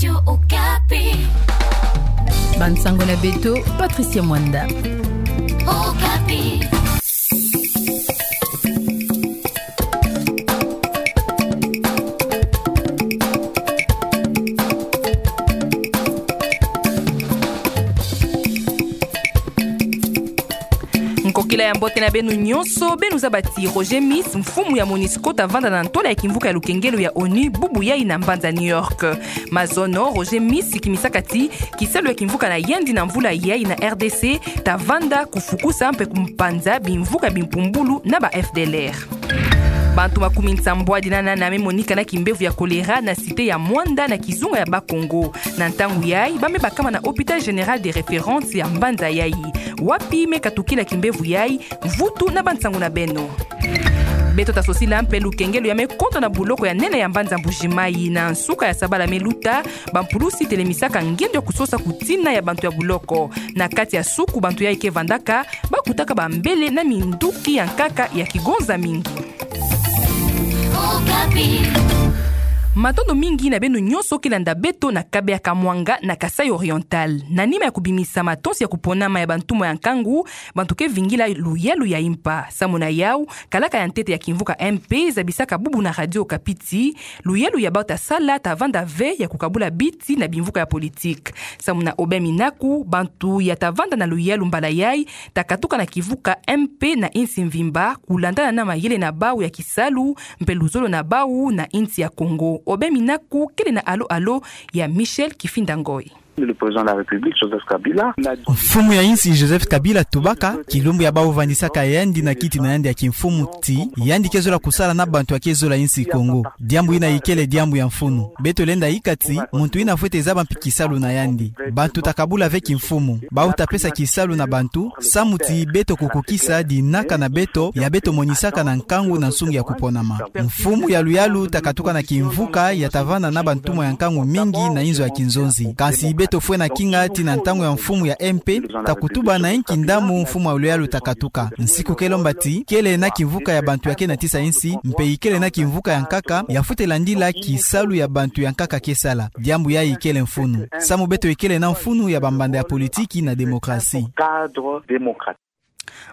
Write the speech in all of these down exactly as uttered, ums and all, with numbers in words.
Radio Okapi. Bansango na beto, Patricia Mwanda. Okapi. Nkokila ya mbote na beno nyonso, beno zaba ti Roger Mis, mfumu ya Monusco, ta vanda na ntwala ya kimvuka ya lukengelo ya onu bubu yai na mbanza New York. Mazono, Roger Mis akimisaka ti kisalu ya kimvuka na yandi na mvula yai na R D C ta vanda kufukusa mpe kumpanza bimvuka bimpumbulu na ba F D L R. Bantu makumi nsambwadi na nana me monika na kimbevo ya choléra na cité ya Muanda na kizunga ya Bas-Congo. Na ntangu yai, ba me bakama na hôpital général de référence ya mbanza yai. Wapi me katukila kimbevo yai? Mvutu na bansango na beno. Beto ta sosila mpe lukengelo ya me konto na buloko ya nene ya mbanza Mbuji-Mayi. Na nsuka ya sabala me luta, bampulusi telemisaka ngendo ya kusosa kutina ya bantu ya buloko. Na kati ya suku bantu yai ke vandaka, ba kutaka bambele na minduki ya nkaka ya kigonza mingi. Okapi. Matondo mingi na beno nyonso ke landa beto na Kabeya Kamwanga na Kasaï Oriental. Na nima ya kubimisa matonsi ya kuponama ya bantumwa ya nkangu, bantu ke vingila luyalu ya impa. Samu na yau, kalaka ya ntete ya kimvuka M P zabisaka bubu na Radio Okapi ti luyalu ya bau ta sala ta vanda ve ya kukabula biti na bimvuka ya politique. Samu na Aubin Minaku, bantu ya ta vanda na luyalu mbala yai ta katuka na kimvuka M P na insi mvimba, kulandana na mayele na bau ya kisalu mpe luzolo na bau na insi ya Congo. Aubin Minaku kele na alo-alo ya Michel Kifinda Ngoi. Le président de la République, Joseph Kabila, na... Mfumu ya insi Joseph Kabila tubaka, kilumbu ya bau vandisaka yandi na kiti na yandi ya kimfumu ti yandi ke zola kusala na bantu ya ke zola insi Congo. Diambu yina ikele diambu ya mfunu. Beto lenda ika ti muntu yina fwete zaba mpi kisalu na yandi. Bantu ta kabula ve kimfumu. Bau ta pesa kisalu na bantu, samu ti beto kukukisa dinaka na beto ya beto monisaka na nkangu na nsungi ya kuponama. Mfumu ya luyalu ta katuka na kimvuka ya ta vanda na bantumwa ya nkangu mingi na inzo ya kinzonzi. Kansi beto fwena kinga ti na ntangu ya mfumu ya M P, ta kutuba na inki ndambu mfumu ya luyalu ta katuka. Nsiku ke lomba ti kele na kimvuka ya bantu ya ke natisa insi, mpe ikele na kimvuka ya nkaka ya fwete landila kisalu ya bantu ya nkaka ke sala. Diambu yai ikele mfunu. Samu beto ikele na mfunu ya bambanda ya politiki na démocratie. Cadre démocratique.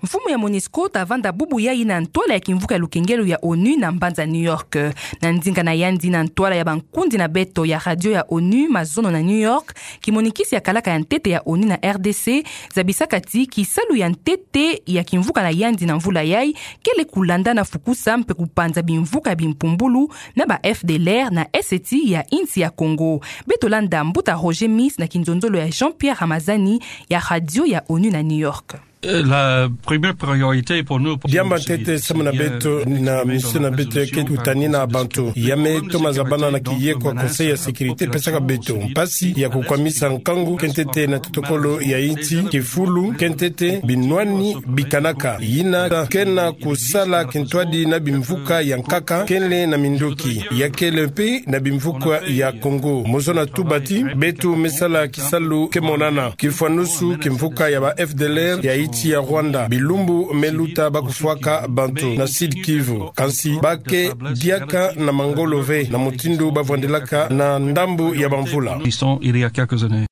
Mfumu ya Monusco ta vanda bubu yai na ntwala ya kimvuka ya lukengelo ya onu na mbanza New York. Na ndinga na yandi na ntwala ya bankundi na beto ya radio ya onu mazono na New York, kimonikisi ya kalaka ya ntete ya onu na R D C zabisaka ti kisalu ya ntete ya kimvuka na yandi na mvula yai kele kulandana fukusa mpe kupanza bimvuka bimpumbulu na ba F D L R na eseti ya insi ya Congo. Beto landa mbuta Roger Mis na kinzonzolo ya Jean-Pierre Ramazani ya radio ya onu na New York. La première priorité pour nous, pour... Diambu ya ntete samu na beto na mission na beto ya ke kutani na bantu ya me toma zabana na kiyeko ya Conseil ya sécurité pesaka beto mpasi ya kukwamisa nkangu ke ntete na totokolo ya insi, kifulu ke ntete, binwani bikanaka, yina ke na kusala kintwadi na bimvuka ya nkaka kele na minduki, ya kele mpe na bimvuka ya Congo. Mu zona tuba ti beto me sala kisalu ke monana, kifwanusu kimvuka ya ba F D L R ya insi ya Rwanda. Bilumbu me luta ba kufwaka bantu na Sud-Kivu. Kansi ba ke diaka na mangolo ve na mutindu ba vwandelaka na ndambu ya bamvula. Ils sont, il y a quelques années.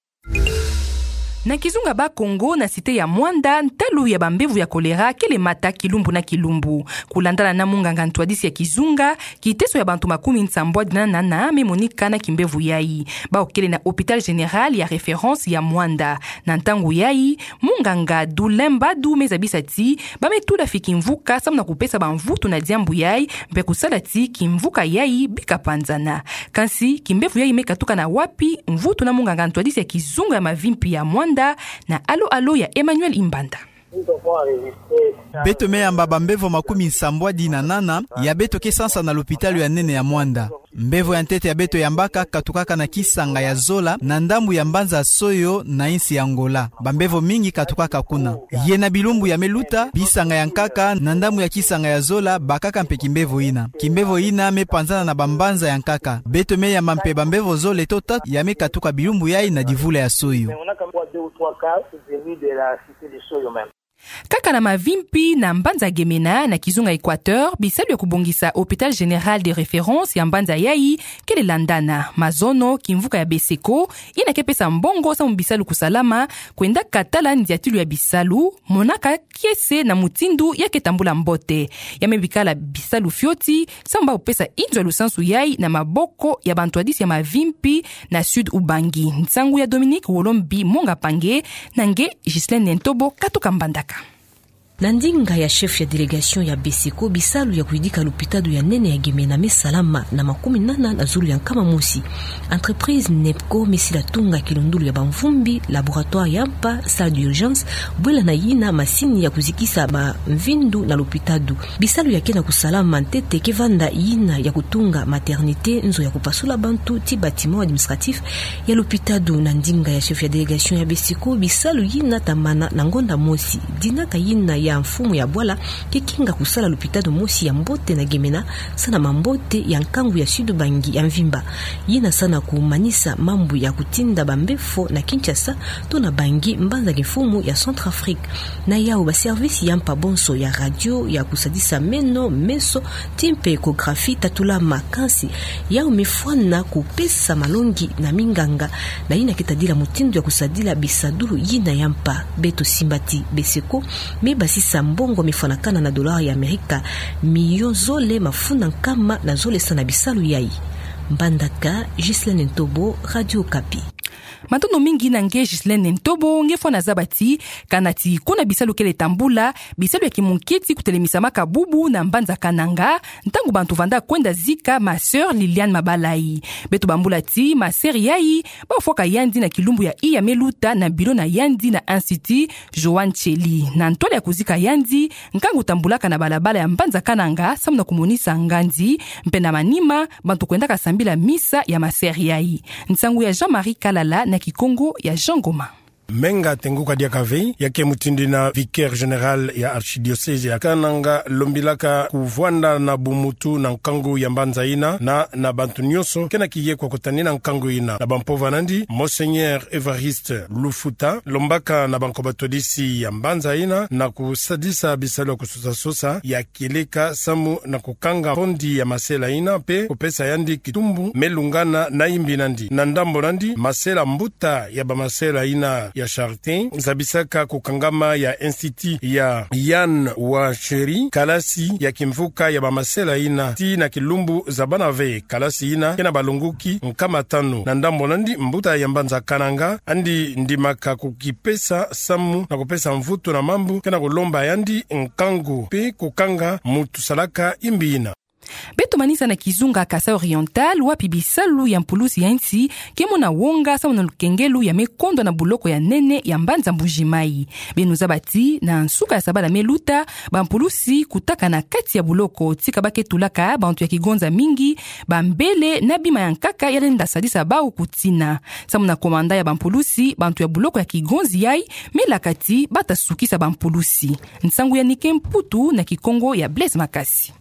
Na kizunga Bas-Congo na cité ya Muanda, ntalu ya bambevo ya choléra kele mata kilumbu na kilumbu. Kulandana na munganga ntwadisi ya kizunga, kiteso ya bantu makumi nsambwadi na nana me monika na kimbevo yai. Bau kele na hôpital général ya référence ya Muanda. Na ntangu yai, munganga Dulemba Du me zabisa ti ba me tula fi kimvuka samu na kupesa bamvutu na diambu yai, mpe kusala ti kimvuka yai bika panzana. Kansi kimbevo yai me katuka na wapi? Mvutu na munganga ntwadisi ya kizunga ya mavimpi ya Muanda na alo-alo ya Emmanuel Imbanda. Beto me yamba bambevo makumi nsambwadi na nana ya beto ke sansa na lopitalo ya nene ya Muanda. Mbevo ya ntete ya beto yambaka katukaka na kisanga ya zola na ndambu ya mbanza Soyo na insi ya Angola. Bambevo mingi katukaka kuna. Ye na bilumbu ya me luta, bisanga ya nkaka na ndambu ya kisanga ya zola bakaka mpe kimbevo yina. Kimbevo yina me panzana na bambanza ya nkaka. Beto me yamba mpe bambevo zole to tatu ya me katuka bilumbu yai na divula ya Soyo. Kaka na mavimpi na mbanza Gemena na kizunga Équateur, bisalu ya kubongisa Hôpital Général de Référence ya mbanza yayi kele landana. Mazono, kimvuka ya Beseko, yina ke pesa mbongo samu bisalu kusalama, kwendaka tala ndiatilu ya bisalu, monaka kiese na mutindu ya ke tambula mbote. Ya me bikala bisalu fioti, samu bau pesa inzo ya lusansu yayi na maboko ya bantwadisi ya mavimpi na Sud Ubangi. Nsangu ya Dominique Wolombi Monga Pange, na nge Ghislaine Ntobo katuka mbandaka. Na ndinga ya chef ya délégation ya Beseko, bisalu ya kuyidika lupitalu ya nene ya Gemena me salama na makumi nana na zulu ya nkama mosi. Entreprise NEPCO me sila tunga kilundulu ya bamvumbi, laboratoire ya mpa, salle d'urgence, bwela na yina masini ya kuzikisa bamvindu na lupitalu. Bisalu ya ke na kusalama ntete ke vanda yina ya kutunga maternité, nzo ya kupasula bantu, ti bâtiment administratif ya lupitalu. Na ndinga ya chef ya délégation ya Beseko, bisalu yina ta mana na ngonda mosi. Dinaka yina ya mfumu ya bwala ke kinga kusala lupitalu mosi ya mbote na Gemena, sa na mambote ya nkangu ya Sud Ubangi ya mvimba. Yina sa na kumanisa mambu ya kutinda bambefo na Kinshasa, to na Bangui, mbanza kimfumu ya Centrafrique. Na yau, baservice ya mpa bonso ya radio, ya kusadisa meno, meso, ti mpe échographie tatulama. Kansi yau me fwana kupesa malongi na minganga na yina ke tadila mutindu ya kusadila bisadulu yina ya mpa. Beto simba ti Beseko me basisa mbongo me fwanakana na dollar ya Amerika miliyo zole mafunda nkama na zole sa na bisalu yayi. Mbandaka, Ghislaine Ntobo, Radio Okapi. Matondo mingi na nge Ghislaine Ntobo. Nge fwana zaba ti, kana ti kuna bisalu kele tambula, bisalu ya kimunketi kutelemisamaka bubu na mbanza Kananga, ntangu bantu vanda kwenda zika ma sœur Liliane Mabalayi. Beto bambula ti ma sœur yayi bafwaka yandi na kilumbu ya iya me luta na bilo na yandi na Institut Joan Tsheli. Na ntwala ya kuzika yandi, nkangu tambulaka na balabala ya mbanza Kananga, samu na kumonisa ngandi, mpe na manima, bantu kwendaka sambila misa ya ma sœur yayi. Nsangu ya Jean-Marie Kalala na Kikongo ya Jean Ngoma. Menga Tenguka Diakavi, ya ke mutindu yina vicaire général ya archidiocèse ya Kananga, lombilaka kuvwanda na bumutu na nkangu ya mbanza yina, na, na bantu nyonso ke na kiye kwa kutanina nkangu yina. Na bampova nandi, Monseigneur Évariste Lufuta, lombaka na banko batwadisi ya mbanza yina na kusadisa bisalu ya kusosasosa ya kieleka samu na kukanga mpondi ya masela yina mpe kupesa yandi kitumbu me lungana na imbi nandi. Na ndambo nandi, masela mbuta ya bamasela yina ya Charité zabisaka kukangama ya Institut ya Joan Tsheli, kalasi ya kimvuka ya bamasela yina, tii na kilumbu zabana ve kalasi yina ke na balongoki nkama tanu. Na ndambo nandi, mbuta ya mbanza Kananga, yandi ndimaka kukipesa samu na kupesa mvutu na mambu ke na kulomba yandi nkangu mpe kukanga mutu salaka imbi yina. Beto manisa na kizunga Kasaï Oriental, wapi bisalu ya mpulusi ya nsi ke mona wonga samu na lukengelo ya me kondwa na boloko ya nene ya mbanza Mbuji-Mayi. Beno zaba ti, na nsuka ya sabala me luta, bampulusi kutaka na kati ya boloko, tika ba ke tulaka bantu ya kigonza mingi, bambele na bima ya nkaka ya lenda sadisa bau kutina. Samu na komanda ya bampulusi, bantu ya boloko ya kigonzi yayi me laka ti ba ta sukisa bampulusi. Nsangu ya Nike Mputu na Kikongo ya Blaise Makasi.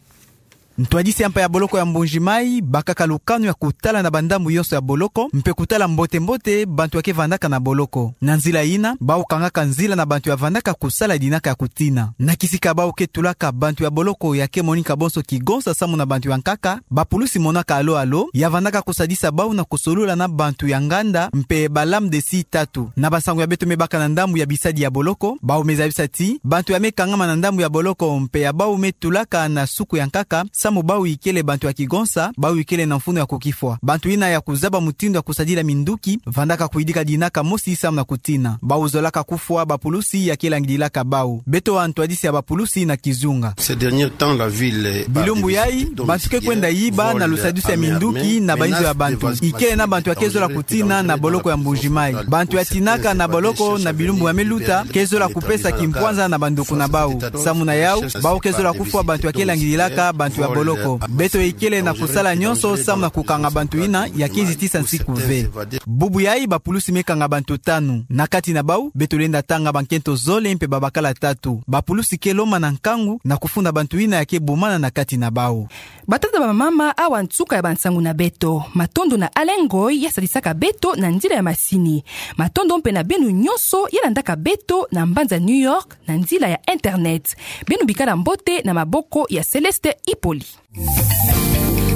Ntwadisi ya mpa ya boloko ya Mbuji-Mayi bakaka lukanu ya kutala na bandambu yonso ya boloko, mpe kutala mbote-mbote bantu ya ke vandaka na boloko. Na nzila yina, bau kangaka nzila na bantu ya vandaka kusala dinaka ya kutina. Na kisika bau ke tulaka bantu ya boloko ya ke monika bonso kigonza samu na bantu ya nkaka, bapulusi monaka alo-alo ya vandaka kusadisa bau na kusolula na bantu ya nganda mpe ba lames de scie tatu. Na bansangu ya beto me baka na ndambu ya bisadi ya boloko, bau me zabisa ti, bantu ya me kangama na ndambu ya boloko mpe ya bau me tulaka na suku ya nkaka, samu bau ikele bantu ya kigonza, bau ikele na mfunu ya kukifwa. Bantu yina ya kuzaba mutindu ya kusadila minduki, vandaka kuyidika dinaka mosi samu na kutina. Bau zolaka kufwa bapulusi ya ke langidilaka bau. Beto wa ntwadisi ya bapulusi na kizunga. Ces derniers temps, la ville est par des visites touristes. Bilumbu yayi, bantu ke kwenda yiba na lusadusu ya minduki na bainzo ya bantu. Ikele na bantu ya ke zola kutina na boloko ya Mbuji-Mayi. Bantu ya tinaka na boloko na bilumbu ya me luta ke zola kupesa kimpwanza na banduku na bau. Samu na yau, bau ke zola kufwa bantu ya ke langidilaka bantu ya boloko. Beto ikele na kusala nyonso samu na kukanga bantu ina ya ke zitisa nsiku ve. Bubu yayi bapulusi me kanga bantu tanu. Na kati na bau, beto lenda tanga bankento zole mpe babakala tatu. Bapulusi ke lomana nkangu na kufunda bantu ina ya ke bomana na kati na bau. Batata, bamama, awa nsuka ya bansangu na beto. Matondo na Alain Ngoy ya sadisaka beto na nzila ya masini. Matondo mpe na beno nyonso ya landaka beto na mbanza New York na nzila ya internet. Beno bikala mbote na maboko ya Céleste Hippolyte.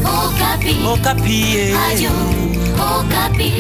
Okapi. Okapi, eh. Radio Okapi.